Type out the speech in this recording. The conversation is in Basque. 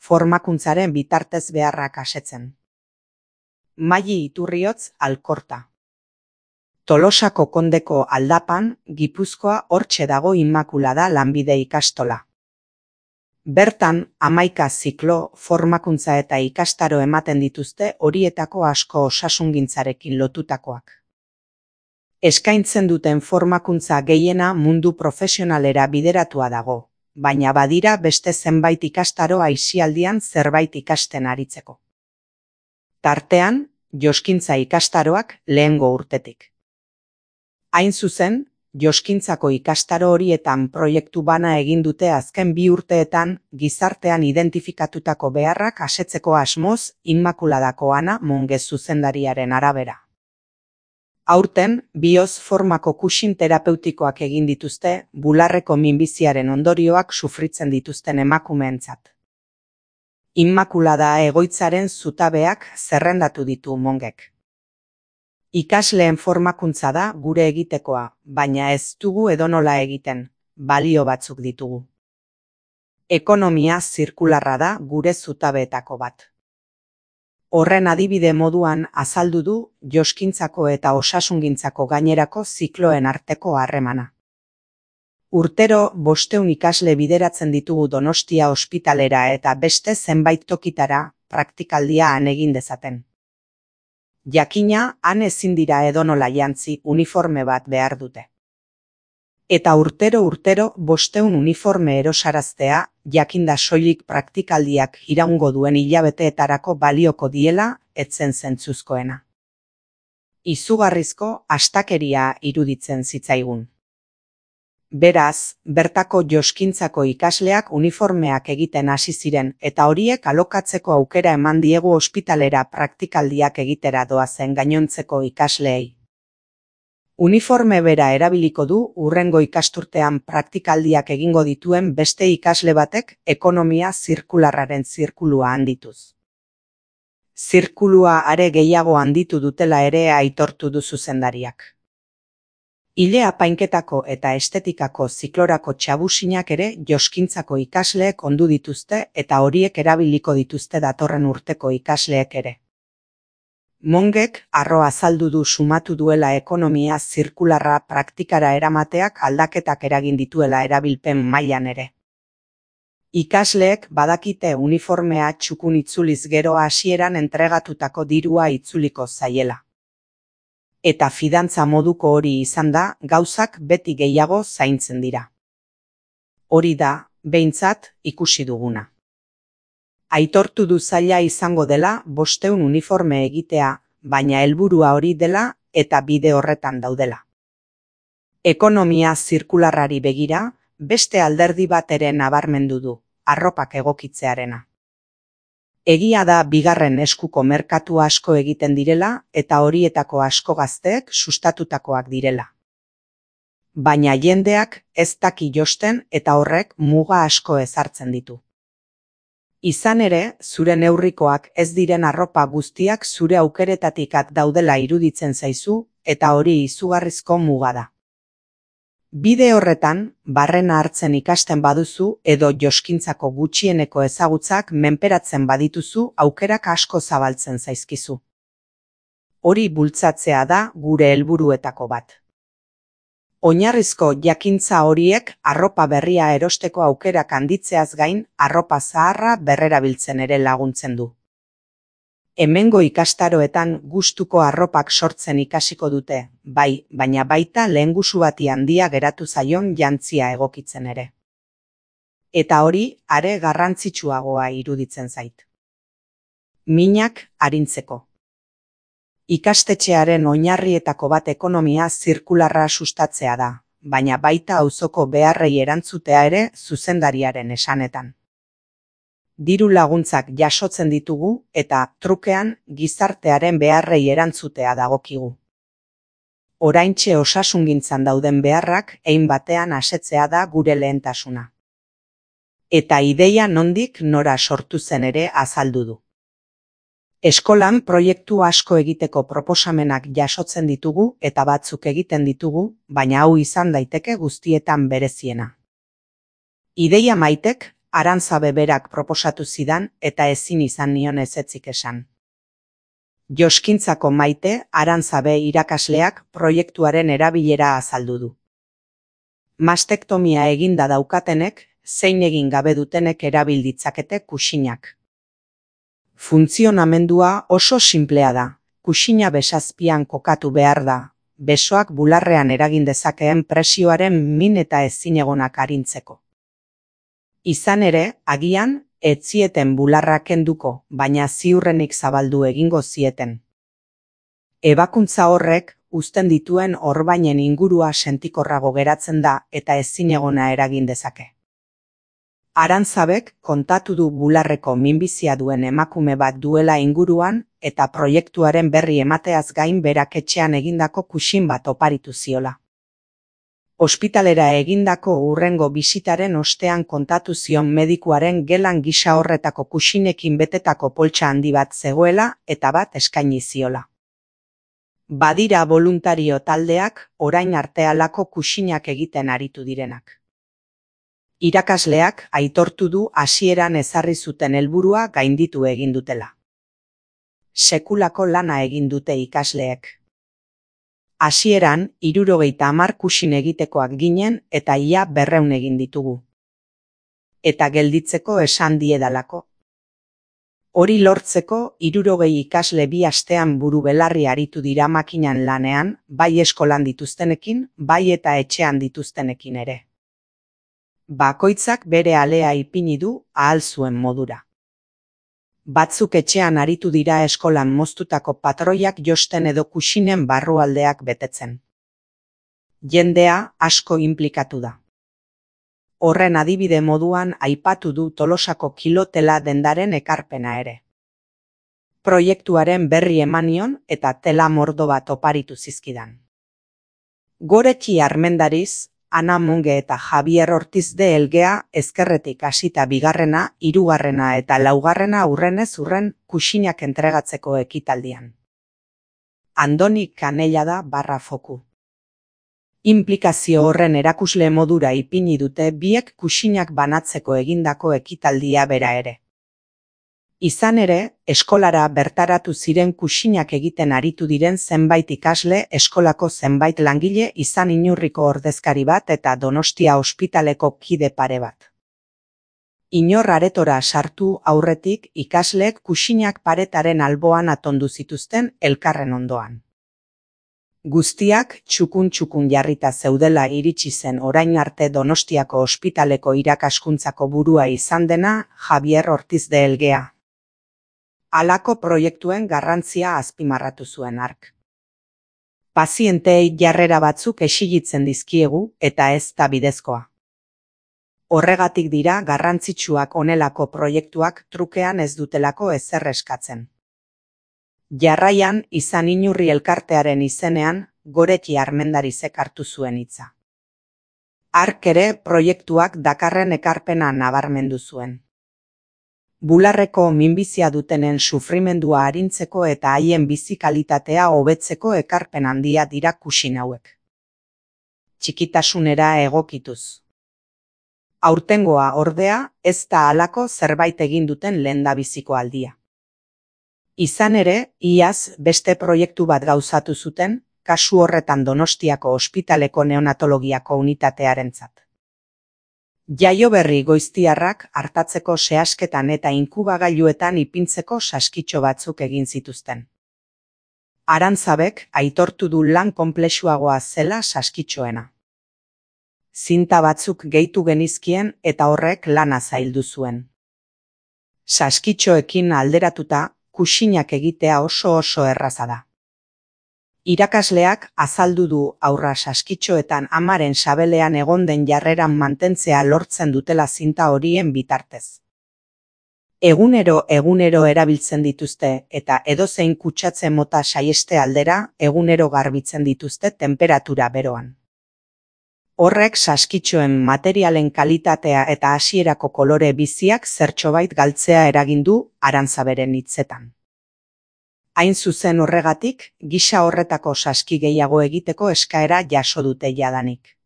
formakuntzaren bitartez beharrak asetzen. Maili Iturriotz Alkorta. Tolosako Kondeko aldapan, Gipuzkoa hortxe dago Immakulada lanbide ikastola. Bertan, 11 ziklo, formakuntza eta ikastaro ematen dituzte horietako asko osasungintzarekin lotutakoak. Eskaintzen duten formakuntza gehiena mundu profesionalera bideratua dago, baina badira beste zenbait ikastaro aisialdian zerbait ikasten aritzeko. Tartean, joskintza ikastaroak lehengo urtetik. Hain zuzen, joskintzako ikastaro horietan proiektu bana egin dute azken 2 urteetan gizartean identifikatutako beharrak asetzeko asmoz Immakuladako Ana Monge zuzendariaren arabera. Aurten, bioz formako kuxin terapeutikoak egin dituzte bularreko minbiziaren ondorioak sufritzen dituzten emakumeentzat. Immakulada egoitzaren zutabeak zerrendatu ditu Mongek. Ikasleen formakuntza da gure egitekoa, baina ez dugu edonola egiten, balio batzuk ditugu. Ekonomia zirkularra da gure zutabeetako bat. Horren adibide moduan azaldu du joskintzako eta osasungintzako gainerako zikloen arteko harremana. Urtero 500 ikasle bideratzen ditugu Donostia ospitalera eta beste zenbait tokitara praktikaldia han egin dezaten. Jakina, han ezin dira edonola jantzi uniforme bat behar dute. Eta urtero 500 uniforme erosaraztea, jakinda soilik praktikaldiak iraungo duen hilabeteetarako balioko diela, etzen zentzuzkoena. Izugarrizko astakeria iruditzen zitzaigun. Beraz, bertako joskintzako ikasleak uniformeak egiten hasi ziren eta horiek alokatzeko aukera eman diegu ospitalera praktikaldiak egitera doazen gainontzeko ikasleei. Uniforme bera erabiliko du hurrengo ikasturtean praktikaldiak egingo dituen beste ikasle batek ekonomia zirkularraren zirkulua handituz. Zirkulua are gehiago handitu dutela ere aitortu du zuzendariak. Ile apainketako eta estetikako ziklorako txabusinak ere joskintzako ikasleek ondu dituzte eta horiek erabiliko dituzte datorren urteko ikasleek ere. Mongek harro azaldu du sumatu duela ekonomia zirkularra praktikara eramateak aldaketak eragin dituela erabilpen mailan ere. Ikasleek badakite uniformea txukun itzuliz gero hasieran entregatutako dirua itzuliko zaiela. Eta fidantza moduko hori izan da, gauzak beti gehiago zaintzen dira. Hori da, behintzat, ikusi duguna. Aitortu du zaila izango dela 500 uniforme egitea, baina helburua hori dela eta bide horretan daudela. Ekonomia zirkularrari begira, beste alderdi bat ere nabarmendu du, arropak egokitzearena. Egia da bigarren eskuko merkatu asko egiten direla eta horietako asko gazteek sustatutakoak direla. Baina jendeak ez daki josten eta horrek muga asko ezartzen ditu. Izan ere, zure neurrikoak ez diren arropa guztiak zure aukeretatik at daudela iruditzen zaizu eta hori izugarrizko muga da. Bide horretan, barrena hartzen ikasten baduzu edo joskintzako gutxieneko ezagutzak menperatzen badituzu aukerak asko zabaltzen zaizkizu. Hori bultzatzea da gure helburuetako bat. Oinarrizko jakintza horiek arropa berria erosteko aukerak handitzeaz gain arropa zaharra berrerabiltzen ere laguntzen du. Hemengo ikastaroetan gustuko arropak sortzen ikasiko dute, bai, baina baita lehengusu bati handia geratu zaion jantzia egokitzen ere. Eta hori, are garrantzitsuagoa iruditzen zait. Minak arintzeko. Ikastetxearen oinarrietako bat ekonomia zirkularra sustatzea da, baina baita auzoko beharrei erantzutea ere zuzendariaren esanetan. Diru laguntzak jasotzen ditugu eta trukean gizartearen beharrei erantzutea dagokigu. Oraintxe osasungintzan dauden beharrak hein batean asetzea da gure lehentasuna. Eta ideia nondik nora sortu zen ere azaldu du. Eskolan proiektu asko egiteko proposamenak jasotzen ditugu eta batzuk egiten ditugu, baina hau izan daiteke guztietan bereziena. Ideia maitek Arantzabe berak proposatu zidan eta ezin izan nion ezetzik esan. Joskintzako Maite Arantzabe irakasleak proiektuaren erabilera azaldu du. Mastektomia eginda daukatenek, zein egin gabe dutenek erabil ditzakete kuxinak. Funtzionamendua oso sinplea da. Kuxina besazpian kokatu behar da, besoak bularrean eragin dezakeen presioaren min eta ezinegonak arintzeko. Izan ere, agian, ez zieten bularra kenduko, baina ziurrenik zabaldu egingo zieten. Ebakuntza horrek, uzten dituen orbainen ingurua sentikorrago geratzen da eta ezinegona eragin dezake. Arantzabek kontatu du bularreko minbizia duen emakume bat duela inguruan eta proiektuaren berri emateaz gain berak etxean egindako kuxin bat oparitu ziola. Ospitalera egindako hurrengo bisitaren ostean kontatu zion medikuaren gelan gisa horretako kuxinekin betetako poltsa handi bat zegoela eta bat eskaini ziola. Badira boluntario taldeak orain arte halako kuxinak egiten aritu direnak. Irakasleak aitortu du hasieran ezarri zuten helburua gainditu egin dutela. Sekulako lana egin dute ikasleek. Hasieran 70 kuxin egitekoak ginen eta ia 200 egin ditugu. Eta gelditzeko esan diedalako. Hori lortzeko 60 ikasle 2 astean buru belarri aritu dira makinan lanean, bai eskolan dituztenekin, bai eta etxean dituztenekin ere. Bakoitzak bere alea ipini du ahal zuen modura. Batzuk etxean aritu dira eskolan moztutako patroiak josten edo kuxinen barrualdeak betetzen. Jendea asko inplikatu da. Horren adibide moduan aipatu du Tolosako kilotela dendaren ekarpena ere. Proiektuaren berri emanion eta tela mordo bat oparitu zizkidan. Goretxi Armendariz, Ana Monge eta Javier Ortiz de Elgea ezkerretik hasita 2., 3. eta 4. hurrenez hurren kuxinak entregatzeko ekitaldian. Andoni Kanellada /foku. Inplikazio horren erakusle modura ipini dute biek kuxinak banatzeko egindako ekitaldia bera ere. Izan ere, eskolara bertaratu ziren kuxinak egiten aritu diren zenbait ikasle, eskolako zenbait langile, izan Inurriko ordezkari bat eta Donostia ospitaleko kide pare bat. Inor aretora sartu aurretik ikasleek kuxinak paretaren alboan atondu zituzten elkarren ondoan. Guztiak txukun jarrita zeudela iritsi zen orain arte Donostiako ospitaleko irakaskuntzako burua izan dena Javier Ortiz de Elgea. Halako proiektuen garrantzia azpimarratu zuen hark. Pazienteei jarrera batzuk exigitzen dizkiegu eta ez da bidezkoa. Horregatik dira garrantzitsuak honelako proiektuak trukean ez dutelako ezer eskatzen. Jarraian izan Inurri elkartearen izenean Goretxi Armendarizek hartu zuen hitza. Hark ere proiektuak dakarren ekarpena nabarmendu zuen. Bularreko minbizia dutenen sufrimendua arintzeko eta haien bizi kalitatea hobetzeko ekarpen handia dira kuxin hauek. Txikitasunera egokituz. Aurtengoa ordea ez da halako zerbait egin duten lehendabiziko aldia. Izan ere, iaz beste proiektu bat gauzatu zuten, kasu horretan Donostiako ospitaleko neonatologiako unitatearentzat. Jaioberri goiztiarrak artatzeko sehasketan eta inkubagailuetan ipintzeko saskitxo batzuk egin zituzten. Arantzabek aitortu du lan konplexuagoa zela saskitxoena. Zinta batzuk gehitu genizkien eta horrek lana zaildu zuen. Saskitxoekin alderatuta, kuxinak egitea oso erraza da. Irakasleak azaldu du aurra saskitxoetan amaren sabelean egon den jarreran mantentzea lortzen dutela zinta horien bitartez. Egunero erabiltzen dituzte eta edozein kutsatze mota saieste aldera egunero garbitzen dituzte tenperatura beroan. Horrek saskitxoen materialen kalitatea eta hasierako kolore biziak zertxobait galtzea eragin du Arantzaberen hitzetan. Hain zuzen horregatik, gisa horretako saski gehiago egiteko eskaera jaso dute jadanik.